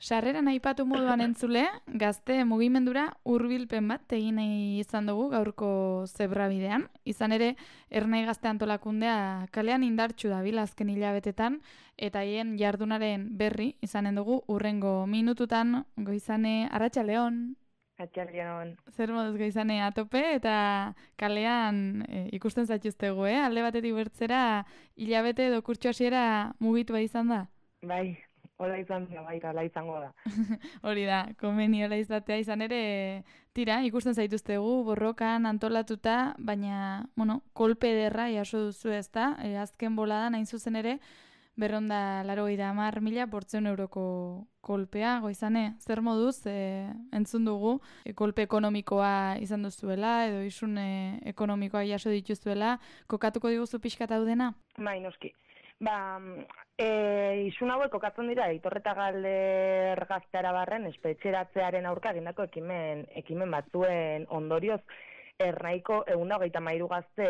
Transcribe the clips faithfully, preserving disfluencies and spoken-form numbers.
Sarreran aipatu moduan entzule, gazte mugimendura hurbilpen bat egin nahi izan dugu gaurko zebrabidean. Izan ere, Ernai Gazte Antolakundea kalean indartsu dabil azken hilabetetan, eta haien jardunaren berri izanen dugu hurrengo minututan. Goizane, arratsaldeon. Atxaldeon. Zer moduz Goizane atope eta kalean e, ikusten zaituztegu, eh? Alde batetik bertzera hilabete edo kurtso hasiera mugitua izan da? Bai. Hola izan da, baita, hala izango da. Hori da, komeniola izatea izan ere, tira, ikusten zaituztegu, borrokan, antolatuta, baina, bueno, kolpe ederra jaso duzu ez da, e, azken boladan hain zuzen ere, berronda laro ida amar mila bortzeun euroko kolpea, Goizane, zer moduz, e, entzun dugu, e, kolpe ekonomikoa izan duzuela, edo isun e, ekonomikoa jaso dituzuela, kokatuko diguzu pixka daudena? Bai, noski. Ba, e, isun hauek kokatzen dira, Itorreta Galder Gazteara barren espetxeratzearen aurka egindako ekimen, ekimen batzuen ondorioz, Ernaiko ehun eta hogeita hamairu gazte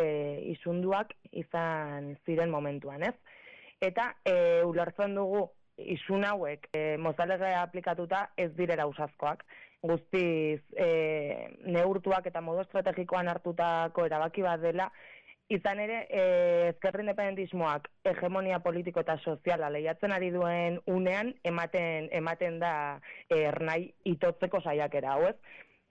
isunduak izan ziren momentuan, ez? Eta e, ulertzen dugu isun hauek e, mozalegea aplikatuta ez direra usazkoak. Guztiz e, neurtuak eta modu estrategikoan hartutako erabaki bat dela. Izan ere, eh, ezker independentismoak hegemonia politiko eta soziala lehiatzen ari duen unean, ematen ematen da eh, Ernai itotzeko saiakera hau, ez?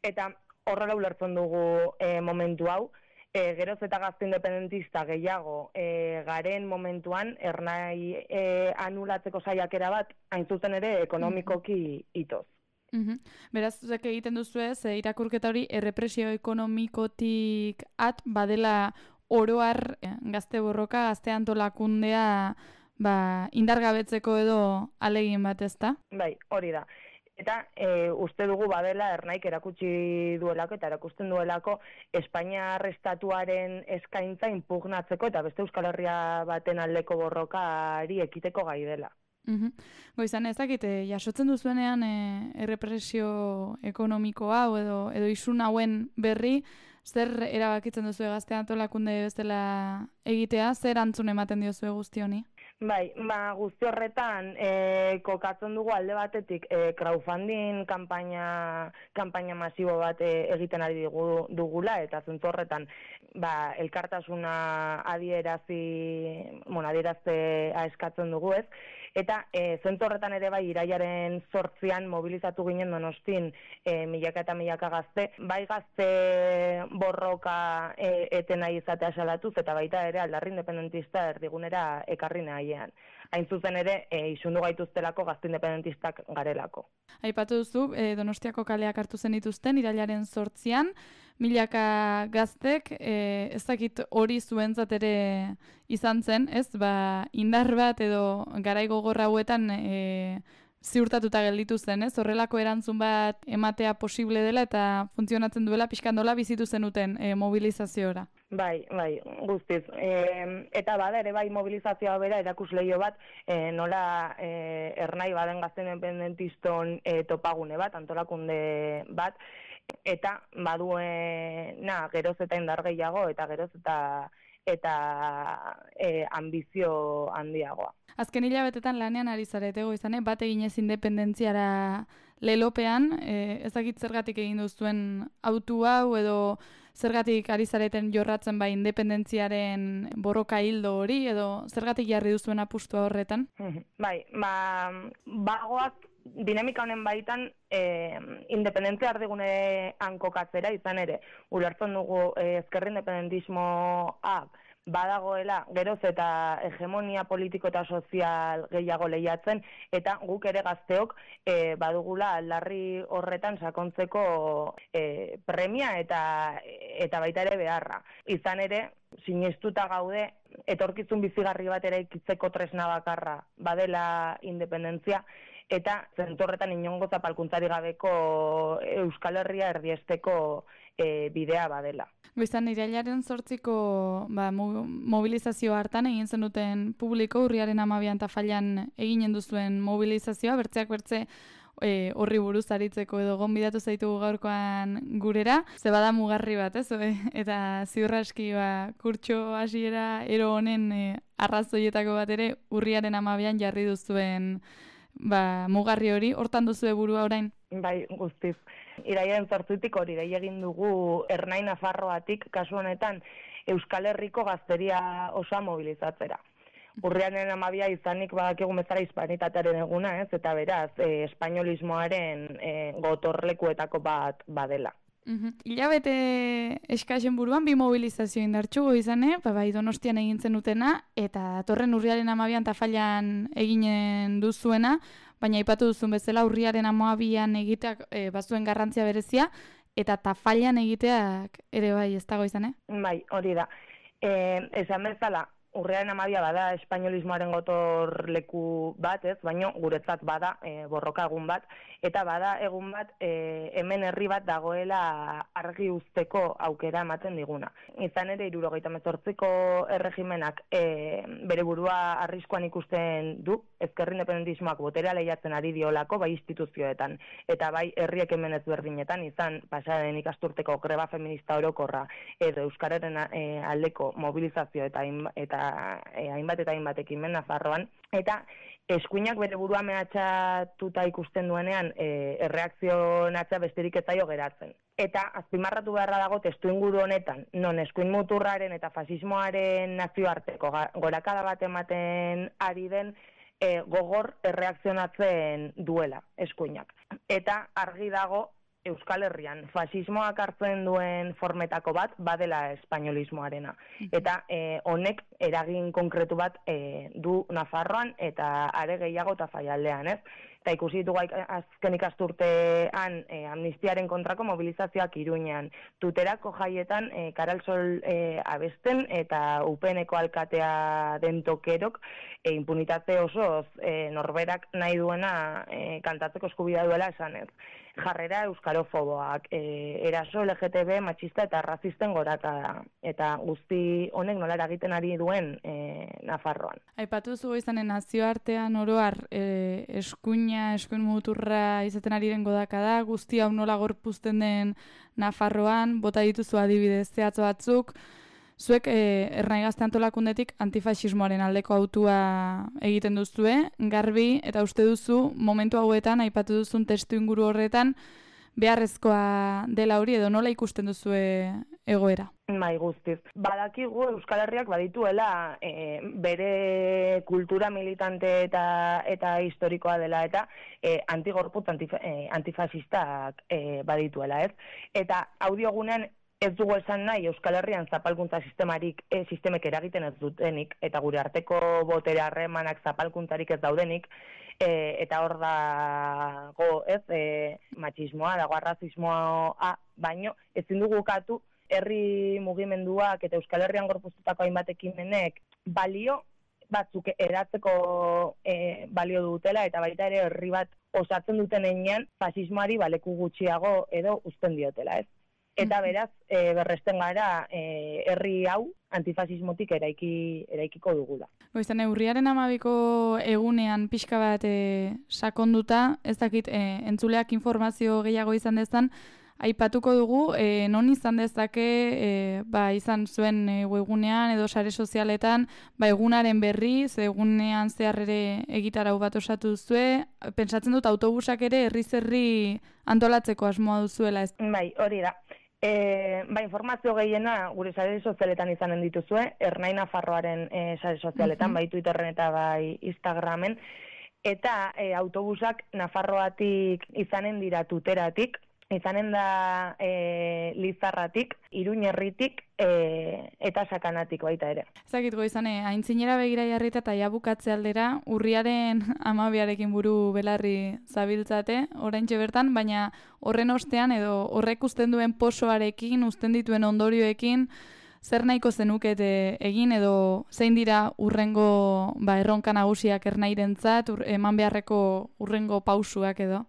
Eta horrela ulertzen dugu eh, momentu hau, eh, geroz eta gazte independentista gehiago eh, garen momentuan, Ernai eh, anulatzeko saiakera bat, hain zuzen ere, ekonomikoki itoz. Uhum. Beraz, zuzek egiten duzu ez, e, irakurketa hori errepresio ekonomikotik at badela oroar gazte borroka, gazte antolakundea ba, indargabetzeko edo alegin bat ez da? Bai, hori da. Eta e, uste dugu badela Ernaik erakutsi duelako eta erakusten duelako Espainiar estatuaren eskaintza inpugnatzeko eta beste Euskal Herria baten aldeko borrokari ekiteko gai dela. Uhum. Goizan, ez dakit, jasotzen duzuenean e, errepresio ekonomiko hau edo, edo isun hauen berri, zer erabakitzen duzu Gazte Antolakunde bezala egitea, zer antzun ematen diozue guzti honi? Bai, ba, guzti horretan e, kokatzen dugu alde batetik e, crowdfunding kanpaina, kanpaina masibo bat e, egiten ari dugu, dugula, eta zentzu horretan ba, elkartasuna adierazi, bueno, adieraztea eskatzen dugu ez, eta e, zentzu horretan ere bai irailaren zortzian mobilizatu ginen Donostin e, milaka eta milaka gazte, bai gazte borroka e, eten nahi izatea salatuz, eta baita ere aldarri independentista erdigunera ekarri nahi. Hain zuzen ere, e, isundu gaituztelako gazte independentistak garelako. Aipatu duzu, e, Donostiako kaleak hartu zen dituzten, irailaren zortzian, milaka gaztek, e, ez dakit hori zuentzat ere izan zen, ez? Ba, indar bat edo garai gogorra hauetan e, ziurtatuta gelditu zen, ez? Horrelako erantzun bat ematea posible dela eta funtzionatzen duela pixkandola bizitu zenuten e, mobilizaziora. Bai, bai, guztiz. E, eta bada ere bai mobilizazioa bera erakusleio bat, e, nola e, Ernai baden gazte independentiston e, topagune bat, antolakunde bat, eta badue, na, geroz eta indar gehiago, eta geroz eta eta e, ambizio handiagoa. Azken hilabetetan lanean ari zarete Goizane, bat eginez independentziara lelopean, e, ezakit zergatik egin duzuen autu hau edo zergatik ari zareten jorratzen bai independentziaren borroka hildo hori edo zergatik jarri duzuen apustua horretan? Bai, ba, bagoak dinamika honen baitan e, independentzia erdigunean kokatzera izan ere, ulertzen dugu e, ezker independentismoa badagoela geroz eta hegemonia politiko eta sozial gehiago lehiatzen, eta guk ere gazteok e, badugula aldarri horretan sakontzeko e, premia eta, eta baita ere beharra. Izan ere, sinestuta gaude, etorkizun bizigarri bat eraikitzeko tresna bakarra badela independentzia, eta zentorretan inongo zapalkuntzari gabeko Euskal Herria erdiesteko e, bidea badela. Goizan, irailaren zortziko ba, mobilizazio hartan egin zenuten publiko, urriaren amabian eta failan eginen duzuen mobilizazioa, bertzeak bertze e, horri buruz aritzeko edo gonbidatu zaitugu gaurkoan gurera, ze bada mugarri bat, ez? Eta ziurra eski ba, kurtso hasiera ero honen e, arrazoietako bat ere urriaren amabian jarri duzuen ba, mugarri hori, hortan duzu burua orain? Bai, guztiz. Iraiaren zortzitik hori, irai egin dugu Ernai Nafarroatik, kasu honetan, Euskal Herriko gazteria osoa mobilizatzera. Urriaren amabia izanik badakigu bezala hispanitatearen eguna, ez? Eta beraz, e, espainolismoaren e, gotorlekuetako bat badela. Uhum. Hilabete eskasen buruan bi mobilizazio indartxugo izane, ba, bai Donostian egin zenutena, eta datorren urriaren amabian Tafallan eginen duzuena, baina aipatu duzun bezala urriaren amabian egiteak e, bazuen garrantzia berezia, eta Tafallan egiteak ere bai ez dago izan, eh? Bai, hori da. E, esan bezala, urriaren amabia bada espainolismoaren gotorleku bat, ez, baina guretzat bada e, borroka egun bat, eta bada egun bat e, hemen herri bat dagoela argi uzteko aukera ematen diguna. Izan ere, hirurogeita hemezortziko erregimenak e, bere burua arriskuan ikusten du, ezker independentismoak boterea lehiatzen ari diolako, bai instituzioetan, eta bai herriek hemen ezberdinetan, izan pasaren ikasturteko greba feminista orokorra, edo euskararen e, aldeko mobilizazio eta, eta e, hainbat eta hainbat ekimen Nafarroan, eta eskuinak bere burua mehatxatuta ikusten duenean e, erreakzionatzea besterik ez zaio geratzen. Eta azpimarratu beharra dago testu inguru honetan, non eskuin muturraren eta fasismoaren nazioarteko gorakada bat ematen ari den e, gogor erreakzionatzen duela eskuinak. Eta argi dago Euskal Herrian fasismoak hartzen duen formetako bat badela espainolismoarena. Eta e, honek eragin konkretu bat e, du Nafarroan eta are gehiago Tafallaldean, ez? Eta ikusi ditugu azken ikasturtean e, amnistiaren kontrako mobilizazioak Iruñean. Tuterako jaietan e, Karalsol e, abesten eta U P N-ko alkatea den tokerok e, impunitate osoz e, norberak nahi duena e, kantatzeko eskubidea duela esanez. Jarrera euskarofoboak, e, eraso L G T B, matxista eta razisten goraka eta guzti honek nola eragiten ari duen e, Nafarroan. Aipatu zu izanen nazioartean oroar e, eskuina, eskuin muturra izaten ari den godaka da, guzti hau nola gorpuzten den Nafarroan, bota dituzu adibidez zehatz batzuk, zuek e, Ernai Gazte Antolakundetik antifasismoaren aldeko autua egiten duzue, garbi, eta uste duzu, momentu hauetan, aipatu duzun testu inguru horretan, beharrezkoa dela hori edo nola ikusten duzue egoera? Bai, guztiz. Badakigu Euskal Herriak badituela e, bere kultura militante eta eta historikoa dela eta e, antigorputz antif, e, antifasistak e, badituela, ez? Eta audiogunean ez dugu esan nahi Euskal Herrian zapalkuntza sistemarik, e, sistemek eragiten ez dutenik, eta gure arteko botere harremanak zapalkuntzarik ez daudenik, e, eta hor dago, ez, e, matxismoa, dago arrazismoa, baino, ezin dugu ukatu, herri mugimenduak eta Euskal Herrian gorpuztutako hainbat ekimenek balio batzuk eratzeko e, balio dutela, eta baita ere herri bat osatzen duten heinean fasismoari baleku gutxiago edo uzten diotela, ez? Eta beraz, e, berresten gara e, herri hau antifasismotik eraiki, eraikiko dugula. Goizan, urriaren amabiko egunean pixka bat e, sakonduta, ez dakit e, entzuleak informazio gehiago izan dezan, aipatuko dugu, e, non izan dezake, e, ba, izan zuen e, webgunean edo sare sozialetan, ba, egunaren berri, ze egunean zehar ere egitarau bat osatu duzue, pentsatzen dut autobusak ere herri-zerri antolatzeko asmoa duzuela, ez? Bai, hori da. E, ba, informazio gehiena gure sare sozialetan izanen dituzue, Ernai Nafarroaren e, sare sozialetan, uh-huh. bai Twitterren eta bai Instagramen, eta e, autobusak Nafarroatik izanen dira Tuteratik, izanen da e, Lizarratik, Iruñerritik e, eta Sakanatik baita ere. Ezakit goizane, aintzinera begira jarrita eta jabukatze aldera, urriaren amabiarekin buru belarri zabiltzate, oraintxe bertan, baina horren ostean edo horrek uzten duen posoarekin, uzten dituen ondorioekin, zer nahiko zenukete egin edo zein dira urrengo ba, erronka nagusiak Ernairentzat, ur, eman beharreko urrengo pausuak edo?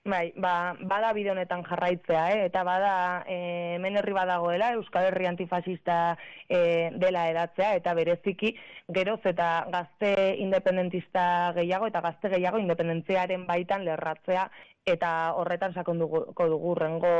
Bai, ba, bada bide honetan jarraitzea, eh? Eta bada e, hemen herri badagoela, Euskal Herri antifasista e, dela edatzea, eta bereziki geroz eta gazte independentista gehiago eta gazte gehiago independentziaren baitan lerratzea, eta horretan sakonduko dugu urrengo,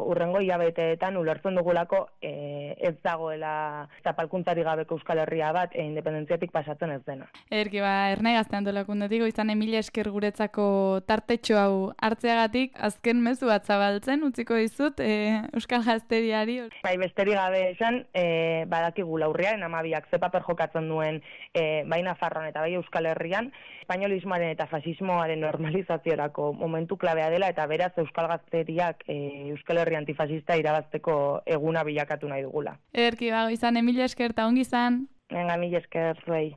urrengo hilabeteetan ulertzen dugulako e, ez dagoela zapalkuntzari gabeko Euskal Herria bat e, independentziatik pasatzen ez dena. Erki, ba, erne gaztean dolakundetik, izan emila esker guretzako tartetxo hau hartzeagatik, azken mezu bat zabaltzen, utziko dizut, e, Euskal Gazteriari. Bai, besterik gabe esan, e, badakigu laurriaren amabiak ze paper jokatzen duen e, bai Nafarroan eta bai Euskal Herrian, espainolismoaren eta fasismoaren normalizaziorako momentu klabea dela, eta beraz Euskal Gazteriak e, Euskal Herri antifasista irabazteko eguna bilakatu nahi dugula. Erki, ba, izan emila esker eta ongi izan. Venga, mila esker zuei.